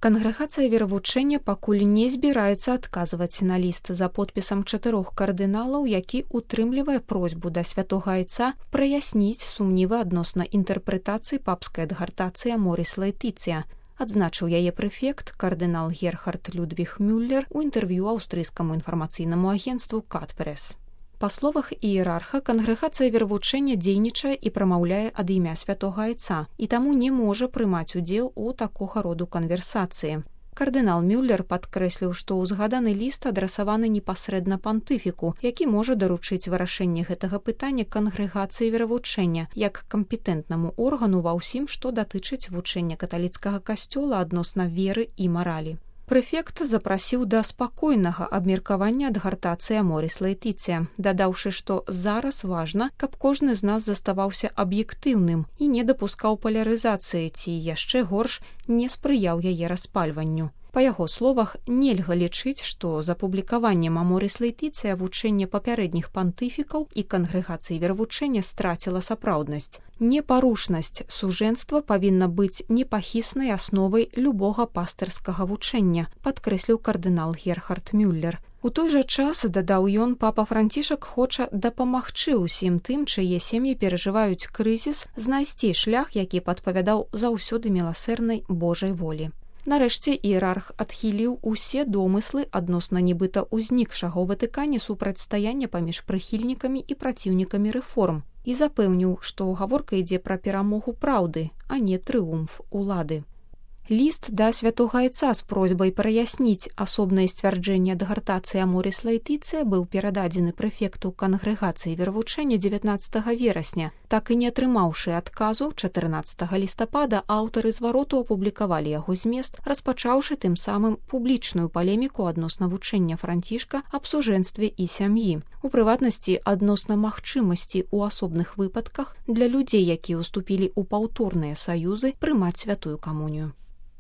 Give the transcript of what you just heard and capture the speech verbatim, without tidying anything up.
Кангрэгацыя веравучэння пакуль не збіраецца адказваць на ліст за подпісам чатырох кардыналаў, які утрымлівае просьбу да святога айца праясніць сумнівы адносна інтэрпрэтацыі папскай адгартацыі Аморіс Лаэтыцыя, адзначыў яе прэфект кардынал Герхард Людвіг Мюллер у інтэрв'ю аўстрыйскаму інфармацыйнаму агенцтву Кат-Прэс. Па словах іерарха, кангрэгацыя веравучэння дзейнічае і прамаўляе ад імя святога айца і таму не можа прымаць удзел у такога роду канверсацыі. Кардынал Мюллер падкрэсліў, што ўзгаданы ліст адрасаваны непасрэдна пантыфіку, які можа даручыць вырашэнне гэтага пытання кангрэгацыі веравучэння як кампетэнтнаму органу ва ўсім, што датычыць вучэння каталіцкага касцёла адносна веры і маралі. Прэфект запрасіў да спакойнага абмеркавання адгартацыі Аморіс Лаэтыцыя, дадаўшы, што зараз важна, каб кожны з нас заставаўся аб'ектыўным і не дапускаў палярызацыі ці, яшчэ горш, не спрыяў яе распальванню. Па яго словах, нельга лічыць, што з апублікаваннем Аморіс Лаэтыцыя вучэнне папярэдніх пантыфікаў і кангрэгацыі веравучэння страціла сапраўднасць. Непарушнасць сужэнства павінна быць непахіснай асновай любога пастырскага вучэння, падкрэсліў кардынал Герхард Мюллер. У той жа час, дадаў ён, папа Францішак хоча дапамагчы ўсім тым, чые сем'і перажываюць крызіс, знайсці шлях, які падпавядаў заўсёды міласэрнай Божай волі. Нарэшце іерарх адхіліў усе домыслы адносна нібыта ўзнікшага ў Ватыкане супрацьстаяння паміж прыхільнікамі і праціўнікамі рэформ і запэўніў, што гаворка ідзе пра перамогу праўды, а не трыумф улады. Ліст да святога айца з просьбай праясніць асобнае сцвярджэнне адгартацыі Аморіс Лаэтыцыя быў перададзены прэфекту кангрэгацыі веравучэння дзевятнаццатага верасня. Так і не атрымаўшы адказу, чатырнаццатага лістапада аўтары звароту апублікавалі яго змест, распачаўшы тым самым публічную палеміку адносна вучэння Францішка аб сужэнстве і сям'і. У прыватнасці, адносна магчымасці ў асобных выпадках для людзей, якія ўступілі ў паўторныя саюзы, прымаць святую камунію.